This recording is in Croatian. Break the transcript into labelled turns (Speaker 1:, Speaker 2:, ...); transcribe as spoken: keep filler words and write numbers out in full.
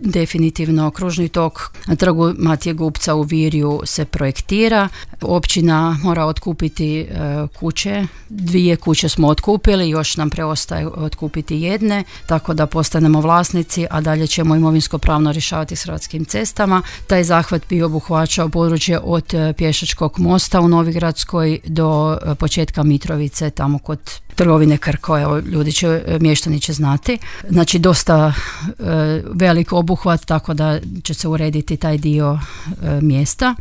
Speaker 1: definitivno kružni tok na trgu Matije Gupca u Virju se projektira. Općina mora otkupiti e, kuće. Dvije kuće smo otkupili, još nam preostaje otkupiti jedne, tako da postanemo vlasnici, a dalje ćemo imovinsko pravno rješavati s Hrvatskim cestama. Taj zahvat bi obuhvaćao područje od Pješačkog mosta u Novigradskoj do početka Mitrovice, tamo kod trgovine Krko, evo, ljudi će, mještani će znati. Znači dosta e, velik obuhvat, tako da će se urediti taj dio e, mjesta.